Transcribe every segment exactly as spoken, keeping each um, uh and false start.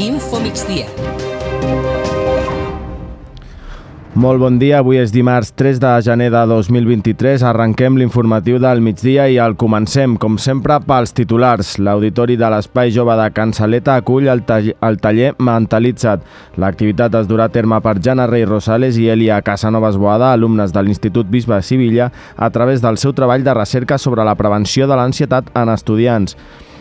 Info Migdia. Molt bon dia, avui és dimarts tres de gener de dos mil vint-i-tres. Arrenquem l'informatiu del migdia i el comencem, com sempre, pels titulars. L'Auditori de l'Espai Jove de Can Saleta acull el, el taller Mentalitza't. L'activitat es durà a terme per Jana Rey Rosales i Elia Casanovas Boada, alumnes de l'Institut Bisbe de Sevilla, a través del seu treball de recerca sobre la prevenció de l'ansietat en estudiants.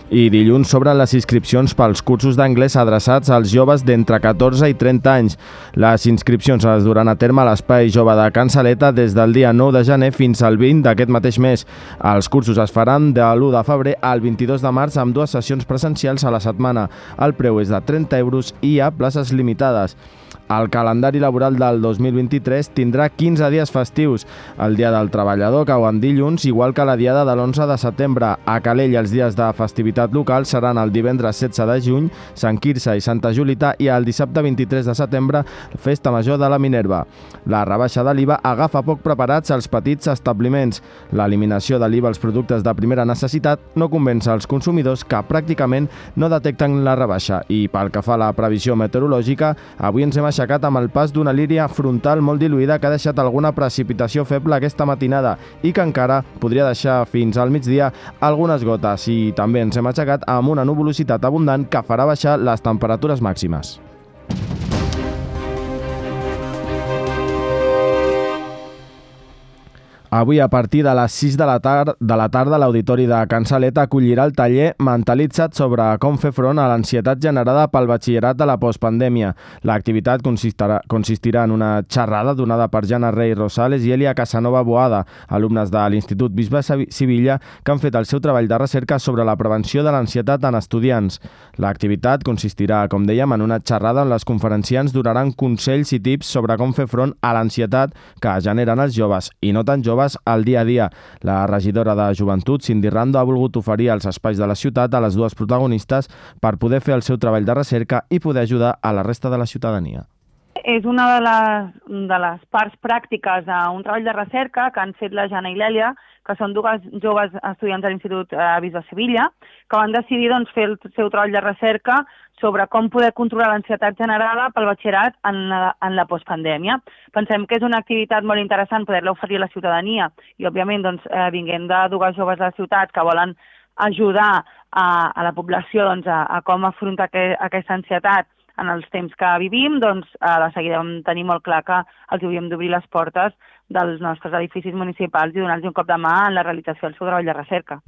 I dilluns s'obren les inscripcions pels cursos d'anglès adreçats als joves d'entre catorze i trenta anys. Les inscripcions es duran a terme a l'Espai Jove de Can Saleta des del dia nou de gener fins al vint d'aquest mateix mes. Els cursos es faran de l'u de febrer al vint-i-dos de març amb dues sessions presencials a la setmana. El preu és de trenta euros i hi ha places limitades. El calendari laboral del dos mil vint-i-tres tindrà quinze dies festius. El Dia del Treballador cau en dilluns, igual que la diada de l'onze de setembre. A Calella els dies de festivitat local seran el divendres setze de juny, Sant Quirze i Santa Julita, i el dissabte vint-i-tres de setembre, Festa Major de la Minerva. La rebaixa de l'I V A agafa poc preparats als petits establiments. L'eliminació de l'I V A als productes de primera necessitat no convenç els consumidors, que pràcticament no detecten la rebaixa. I pel que fa a la previsió meteorològica, avui ens hem aixecat amb el pas d'una línia frontal molt diluïda que ha deixat alguna precipitació feble aquesta matinada i que encara podria deixar fins al migdia algunes gotes, i també ens hem aixecat amb una nuvolositat abundant que farà baixar les temperatures màximes. Avui, a partir de les sis de la, tar de la tarda, l'Auditori de Can Saleta acollirà el taller Mentalitza't sobre com fer front a l'ansietat generada pel batxillerat de la postpandèmia. L'activitat consistirà, consistirà en una xerrada donada per Jana Rey Rosales i Elia Casanova Boada, alumnes de l'Institut Bisbe de Sevilla, que han fet el seu treball de recerca sobre la prevenció de l'ansietat en estudiants. L'activitat consistirà, com dèiem, en una xerrada on les conferenciants donaran consells i tips sobre com fer front a l'ansietat que generen els joves, i no tan joves, al dia a dia. La regidora de Joventut, Cindy Rando, ha volgut oferir els espais de la ciutat a les dues protagonistes per poder fer el seu treball de recerca i poder ajudar a la resta de la ciutadania. És una de les, de les parts pràctiques d'un treball de recerca que han fet la Jana i l'Èlia, que són dues joves estudiants de l'Institut Bisbe de Sevilla, que van decidir doncs, fer el seu treball de recerca sobre com poder controlar l'ansietat generada pel batxillerat en la, en la postpandèmia. Pensem que és una activitat molt interessant poder-la oferir a la ciutadania i, òbviament, doncs, eh, vinguent de dues joves de la ciutat que volen ajudar a, a la població doncs, a, a com afrontar que, aquesta ansietat en els temps que vivim, doncs eh, de seguida vam tenir molt clar que els havíem d'obrir les portes dels nostres edificis municipals i donar-los un cop de mà en la realització del seu treball de recerca.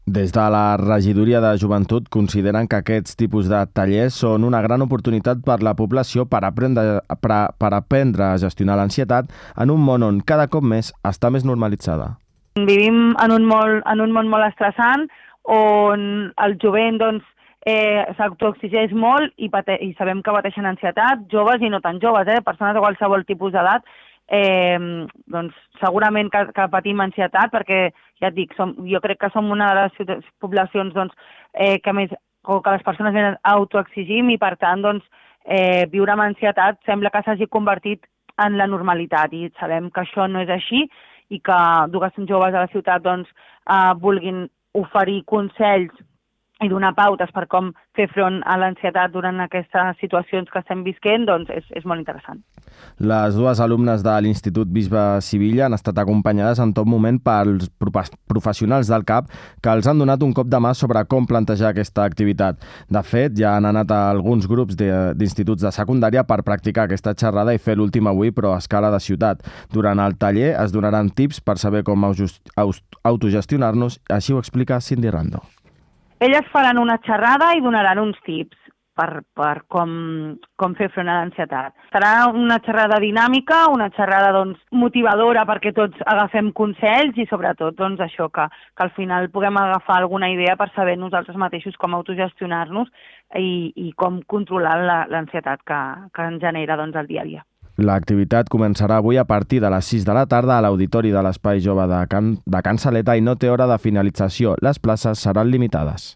Des de la Regidoria de Joventut consideren que aquests tipus de tallers són una gran oportunitat per la població per aprendre, per, per aprendre a gestionar l'ansietat en un món on cada cop més està més normalitzada. Vivim en un, molt, en un món molt estressant on el jovent doncs, eh, s'autoexigeix molt i, i sabem que pateixen ansietat, joves i no tan joves, eh, persones de qualsevol tipus d'edat. Eh, doncs segurament que, que patim ansietat perquè, ja et dic, som, jo crec que som una de les poblacions doncs, eh, que més, o que les persones més autoexigim i per tant doncs, eh, viure amb ansietat sembla que s'hagi convertit en la normalitat i sabem que això no és així i que dues joves de la ciutat doncs, eh, vulguin oferir consells i donar pautes per com fer front a l'ansietat durant aquestes situacions que estem visquent, doncs és, és molt interessant. Les dues alumnes de l'Institut Bisbe de Sevilla han estat acompanyades en tot moment pels professionals del C A P que els han donat un cop de mà sobre com plantejar aquesta activitat. De fet, ja han anat a alguns grups d'instituts de, de secundària per practicar aquesta xerrada i fer l'últim avui, però a escala de ciutat. Durant el taller es donaran tips per saber com autogestionar-nos, així ho explica Cindy Rando. Elles faran una xerrada i donaran uns tips per, per com, com fer front a l'ansietat. Serà una xerrada dinàmica, una xerrada doncs, motivadora perquè tots agafem consells i sobretot doncs, això que, que al final puguem agafar alguna idea per saber nosaltres mateixos com autogestionar-nos i, i com controlar l'ansietat que, que ens genera doncs, el dia a dia. L'activitat començarà avui a partir de les sis de la tarda a l'Auditori de l'Espai Jove de Can, de Can Saleta i no té hora de finalització. Les places seran limitades.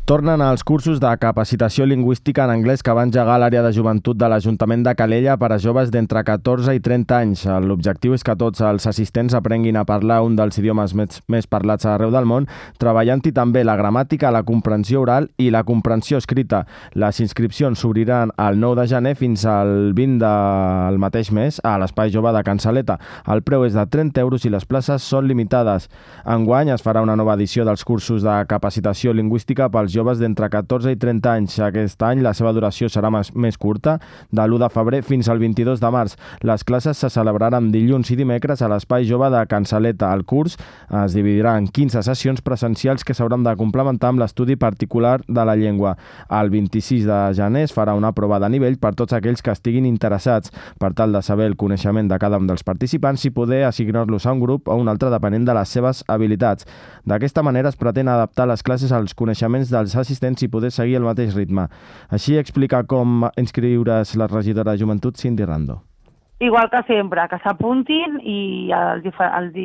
Tornen els cursos de capacitació lingüística en anglès que va engegar l'àrea de joventut de l'Ajuntament de Calella per a joves d'entre catorze i trenta anys. L'objectiu és que tots els assistents aprenguin a parlar un dels idiomes més, més parlats arreu del món, treballant-hi també la gramàtica, la comprensió oral i la comprensió escrita. Les inscripcions s'obriran el nou de gener fins al vint del mateix mes a l'Espai Jove de Can Saleta. El preu és de trenta euros i les places són limitades. Enguany es farà una nova edició dels cursos de capacitació lingüística pels joves d'entre catorze i trenta anys. Aquest any la seva duració serà més, més curta, de l'u de febrer fins al vint-i-dos de març. Les classes se celebraran dilluns i dimecres a l'Espai Jove de Can Saleta. El curs es dividirà en quinze sessions presencials que s'hauran de complementar amb l'estudi particular de la llengua. El vint-i-sis de gener es farà una prova de nivell per tots aquells que estiguin interessats, per tal de saber el coneixement de cada un dels participants i poder assignar-los a un grup o un altre depenent de les seves habilitats. D'aquesta manera es pretén adaptar les classes als coneixements dels assistents i poder seguir el mateix ritme. Així explica com inscriure's la regidora de Joventut, Cindy Rando. Igual que sempre, que s'apuntin i els, els,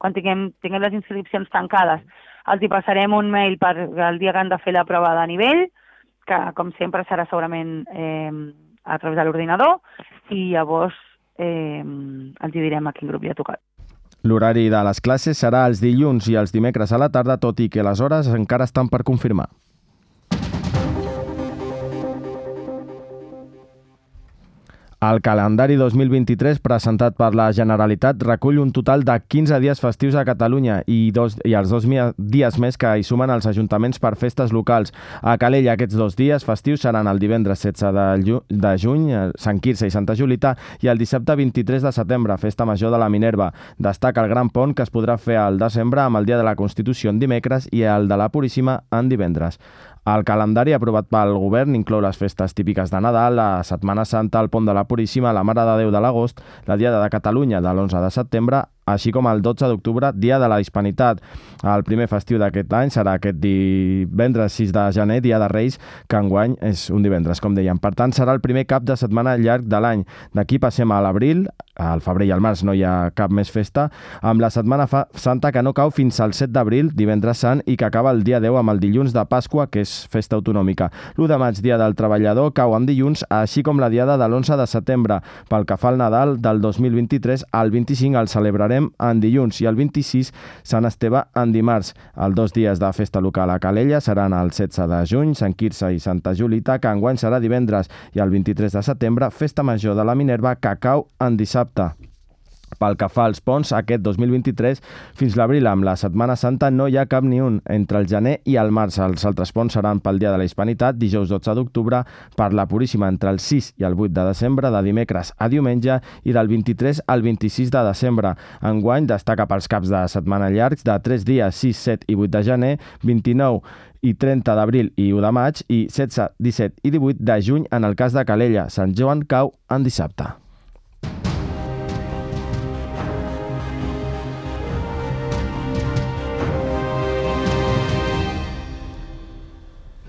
quan tinguem, tinguem les inscripcions tancades els hi passarem un mail per el dia que han de fer la prova de nivell, que com sempre serà segurament eh, a través de l'ordinador, i llavors eh, els hi direm a quin grup hi ha tocat. L'horari de les classes serà els dilluns i els dimecres a la tarda, tot i que les hores encara estan per confirmar. El calendari dos mil vint-i-tres presentat per la Generalitat recull un total de quinze dies festius a Catalunya i, dos, i els dos dies més que hi sumen els ajuntaments per festes locals. A Calella aquests dos dies festius seran el divendres setze de juny, Sant Quirze i Santa Julita, i el dissabte vint-i-tres de setembre, Festa Major de la Minerva. Destaca el Gran Pont, que es podrà fer al desembre amb el Dia de la Constitució en dimecres i el de la Puríssima en divendres. El calendari aprovat pel govern inclou les festes típiques de Nadal, la Setmana Santa, el Pont de la Puríssima, la Mare de Déu de l'agost, la Diada de Catalunya de l'onze de setembre, així com el dotze d'octubre, Dia de la Hispanitat. El primer festiu d'aquest any serà aquest divendres sis de gener, Dia de Reis, que enguany és un divendres, com dèiem. Per tant, serà el primer cap de setmana llarg de l'any. D'aquí passem a l'abril, al febrer i al març no hi ha cap més festa, amb la Setmana Santa que no cau fins al set d'abril, divendres sant, i que acaba el dia deu amb el dilluns de Pasqua, que és festa autonòmica. l'u de maig, Dia del Treballador, cau en dilluns, així com la Diada de l'onze de setembre. Pel que fa al Nadal del dos mil vint-i-tres, el vint-i-cinc el celebrarem en dilluns i el vint-i-sis Sant Esteve en dimarts. Els dos dies de festa local a Calella seran el setze de juny, Sant Quirze i Santa Julita, que enguany serà divendres, i el vint-i-tres de setembre, Festa Major de la Minerva, que cau en dissabte. Pel que fa als ponts, aquest dos mil vint-i-tres, fins l'abril amb la Setmana Santa no hi ha cap ni un. Entre el gener i el març els altres ponts seran pel Dia de la Hispanitat, dijous dotze d'octubre, per la Puríssima entre el sis i el vuit de desembre, de dimecres a diumenge, i del vint-i-tres al vint-i-sis de desembre. Enguany destaca pels caps de setmana llargs de tres dies, sis, set i vuit de gener, vint-i-nou i trenta d'abril i u de maig, i setze, disset i divuit de juny en el cas de Calella. Sant Joan cau en dissabte.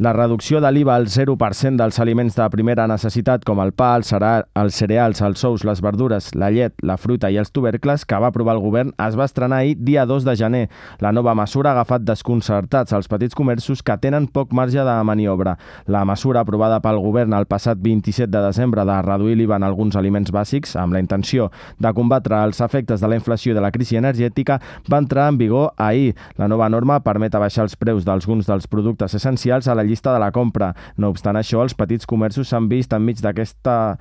La reducció de l'I V A al zero per cent dels aliments de primera necessitat com el pa, el cereal, els cereals, els ous, les verdures, la llet, la fruita i els tubercles que va aprovar el govern es va estrenar ahir, dia dos de gener. La nova mesura ha agafat desconcertats els petits comerços que tenen poc marge de maniobra. La mesura aprovada pel govern el passat vint-i-set de desembre de reduir l'I V A en alguns aliments bàsics amb la intenció de combatre els efectes de la inflació i de la crisi energètica va entrar en vigor ahir. La nova norma permet abaixar els preus d'alguns dels productes essencials a la llista de la compra. No obstant això, els petits comerços s'han vist enmig d'aquesta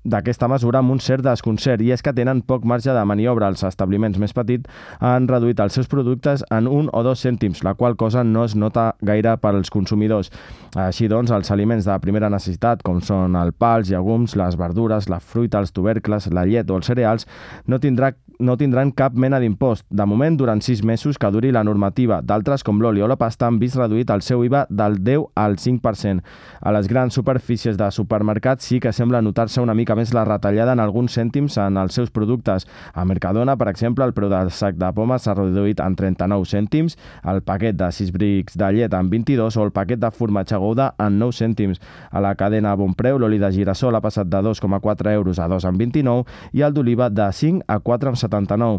d'aquesta mesura amb un cert desconcert, i és que tenen poc marge de maniobra. Els establiments més petits han reduït els seus productes en un o dos cèntims, la qual cosa no es nota gaire per als consumidors. Així doncs, els aliments de primera necessitat, com són el pa, els llegums, les verdures, la fruita, els tubercles, la llet o els cereals, no tindrà no tindran cap mena d'impost. De moment, durant sis mesos que duri la normativa. D'altres, com l'oli o la pasta, han vist reduït el seu I V A del deu al cinc per cent. A les grans superfícies de supermercats sí que sembla notar-se una mica més la retallada en alguns cèntims en els seus productes. A Mercadona, per exemple, el preu del sac de pomes s'ha reduït en trenta-nou cèntims, el paquet de sis brics de llet en vint-i-dos o el paquet de formatge Gouda en nou cèntims. A la cadena Bonpreu, l'oli de girassol ha passat de dos coma quatre euros a dos coma vint-i-nou i el d'oliva de cinc a quatre coma setanta-nou.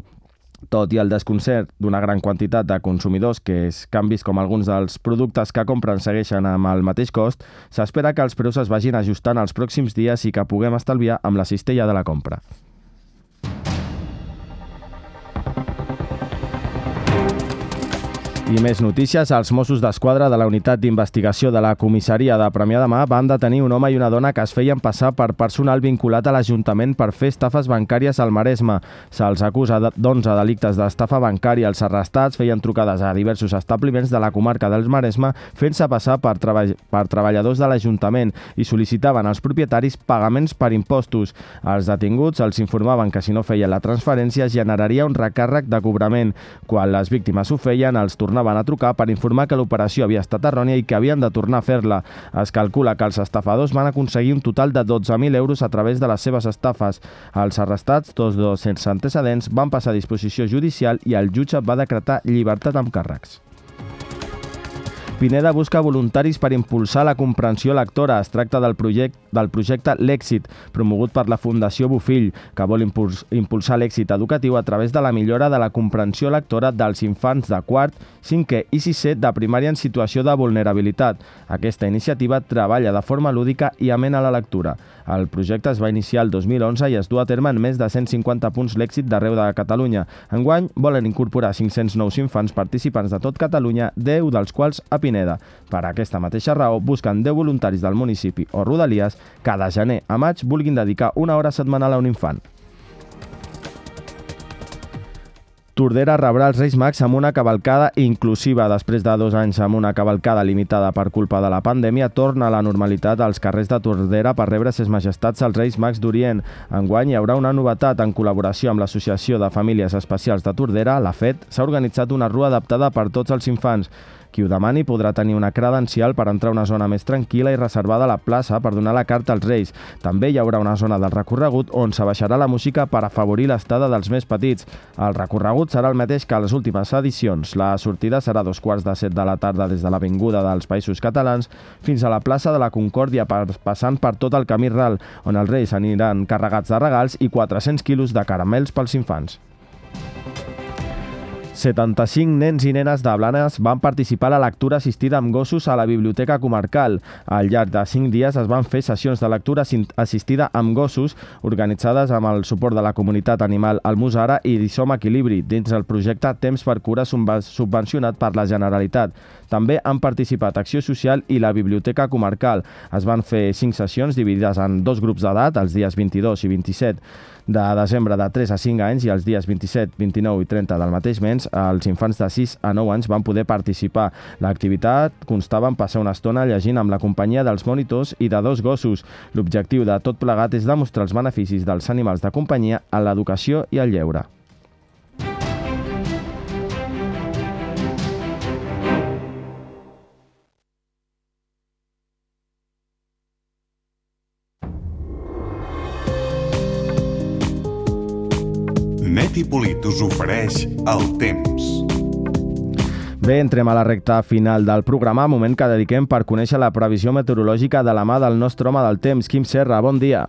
Tot i el desconcert d'una gran quantitat de consumidors que és canvis com alguns dels productes que compren segueixen amb el mateix cost, s'espera que els preus es vagin ajustant els pròxims dies i que puguem estalviar amb la cistella de la compra. I més notícies. Els Mossos d'Esquadra de la Unitat d'Investigació de la Comissaria de Premià de Mar van detenir un home i una dona que es feien passar per personal vinculat a l'Ajuntament per fer estafes bancàries al Maresme. Se'ls acusa d'onze delictes d'estafa bancària. Els arrestats feien trucades a diversos establiments de la comarca del Maresme fent-se passar per, treball per treballadors de l'Ajuntament i sol·licitaven als propietaris pagaments per impostos. Els detinguts els informaven que si no feien la transferència generaria un recàrrec de cobrament. Quan les víctimes ho feien, els tornaven van a trucar per informar que l'operació havia estat errònia i que havien de tornar a fer-la. Es calcula que els estafadors van aconseguir un total de dotze mil euros a través de les seves estafes. Els arrestats, tots dos sense antecedents, van passar a disposició judicial i el jutge va decretar llibertat amb càrrecs. Pineda busca voluntaris per impulsar la comprensió lectora. Es tracta del, project, del projecte L'Èxit, promogut per la Fundació Bofill, que vol impuls, impulsar l'èxit educatiu a través de la millora de la comprensió lectora dels infants de quart, cinquè i sisè de primària en situació de vulnerabilitat. Aquesta iniciativa treballa de forma lúdica i amena la lectura. El projecte es va iniciar el dos mil onze i es du a terme en més de cent cinquanta punts L'Èxit d'arreu de Catalunya. Enguany volen incorporar cinc-cents nous infants participants de tot Catalunya, deu dels quals a Pineda. Per aquesta mateixa raó, busquen deu voluntaris del municipi o rodalies que de gener a maig vulguin dedicar una hora setmanal a un infant. Tordera rebrà els Reis Mags amb una cavalcada inclusiva. Després de dos anys amb una cavalcada limitada per culpa de la pandèmia, torna a la normalitat als carrers de Tordera per rebre ses majestats els Reis Mags d'Orient. Enguany hi haurà una novetat. En col·laboració amb l'Associació de Famílies Especials de Tordera, la F E T, s'ha organitzat una rua adaptada per tots els infants. Qui ho demani podrà tenir una credencial per entrar a una zona més tranquil·la i reservada a la plaça per donar la carta als Reis. També hi haurà una zona del recorregut on s'abaixarà la música per afavorir l'estada dels més petits. El recorregut serà el mateix que a les últimes edicions. La sortida serà a dos quarts de set de la tarda des de l'Avinguda dels Països Catalans fins a la plaça de la Concòrdia, passant per tot el camí ral, on els Reis aniran carregats de regals i quatre-cents quilos de caramels pels infants. setanta-cinc nens i nenes de Blanes van participar a la lectura assistida amb gossos a la Biblioteca Comarcal. Al llarg de cinc dies es van fer sessions de lectura assistida amb gossos organitzades amb el suport de la comunitat animal Almussara i Som Equilibri dins el projecte Temps per Cura subvencionat per la Generalitat. També han participat Acció Social i la Biblioteca Comarcal. Es van fer cinc sessions dividides en dos grups d'edat, els dies vint-i-dos i vint-i-set de desembre de tres a cinc anys i els dies vint-i-set, vint-i-nou i trenta del mateix mes. Els infants de sis a nou anys van poder participar. L'activitat constava en passar una estona llegint amb la companyia dels monitors i de dos gossos. L'objectiu de tot plegat és demostrar els beneficis dels animals de companyia a l'educació i al lleure. Netipolit us ofereix el temps. Bé, entrem a la recta final del programa, moment que dediquem per conèixer la previsió meteorològica de la mà del nostre home del temps, Quim Serra. Bon dia.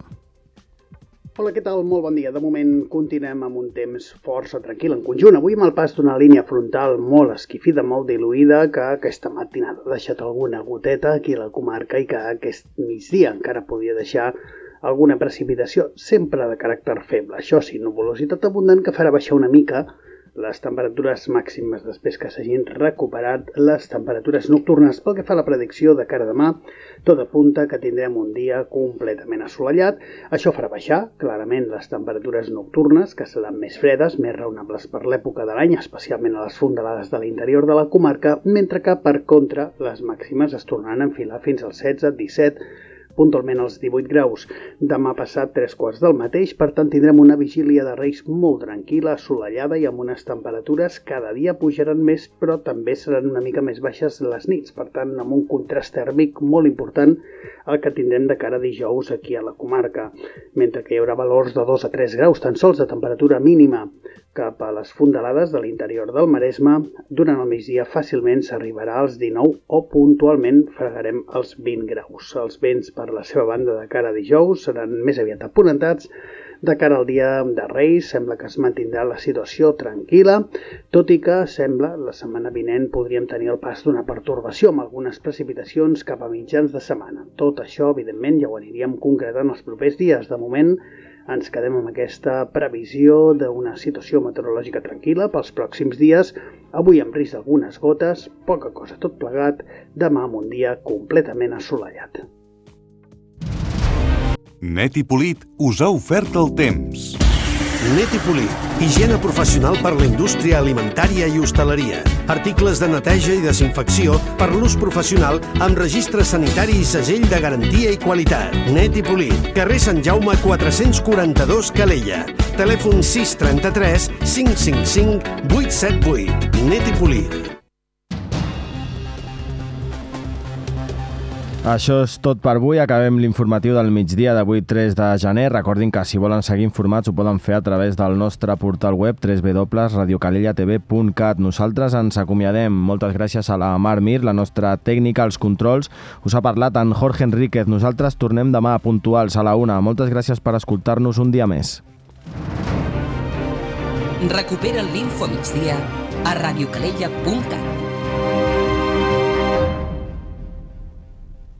Hola, què tal? Molt bon dia. De moment continuem amb un temps força tranquil en conjunt. Avui amb el pas d'una línia frontal molt esquifida, molt diluïda, que aquesta matinada ha deixat alguna goteta aquí a la comarca i que aquest migdia encara podia deixar alguna precipitació, sempre de caràcter feble. Això sí, nuvolositat abundant que farà baixar una mica les temperatures màximes després que s'hagin recuperat les temperatures nocturnes. Pel que fa a la predicció de cara a demà, tot apunta que tindrem un dia completament assolellat. Això farà baixar clarament les temperatures nocturnes, que seran més fredes, més raonables per l'època de l'any, especialment a les fondalades de l'interior de la comarca, mentre que, per contra, les màximes es tornaran a enfilar fins als setze, disset, puntualment als divuit graus. Demà passat tres quarts del mateix, per tant tindrem una vigília de Reis molt tranquil·la, assolellada i amb unes temperatures cada dia pujaran més, però també seran una mica més baixes les nits, per tant amb un contrast tèrmic molt important el que tindrem de cara a dijous aquí a la comarca, mentre que hi haurà valors de dos a tres graus tan sols de temperatura mínima cap a les fondalades de l'interior del Maresme. Durant el migdia fàcilment s'arribarà als dinou o puntualment fregarem els vint graus. Els vents per la seva banda de cara a dijous seran més aviat aponentats, De cara al dia de Reis, sembla que es mantindrà la situació tranquil·la, tot i que sembla la setmana vinent podríem tenir el pas d'una pertorbació amb algunes precipitacions cap a mitjans de setmana. Tot això, evidentment, ja ho aniríem concretant els propers dies. De moment, ens quedem amb aquesta previsió d'una situació meteorològica tranquil·la pels pròxims dies, avui amb risc d'algunes gotes, poca cosa tot plegat, demà amb un dia completament assolellat. Net i Polit us ha ofert el temps. Net i Polit, higiene professional per la indústria alimentària i hostaleria. Articles de neteja i desinfecció per l'ús professional amb registre sanitari i segell de garantia i qualitat. Net i Polit, carrer Sant Jaume quatre-cents quaranta-dos, Calella. Telèfon sis trenta-tres cinc cinc cinc vuit set vuit. Net i Polit. Això és tot per avui. Acabem l'informatiu del migdia d'avui tres de gener. Recordin que si volen seguir informats ho poden fer a través del nostre portal web w w w punt radio calella t v punt cat. Nosaltres ens acomiadem. Moltes gràcies a la Mar Mir, la nostra tècnica, als controls. Us ha parlat en Jorge Enríquez. Nosaltres tornem demà puntuals a la una. Moltes gràcies per escoltar-nos un dia més. Recupera l'Info Migdia a radio calella punt cat.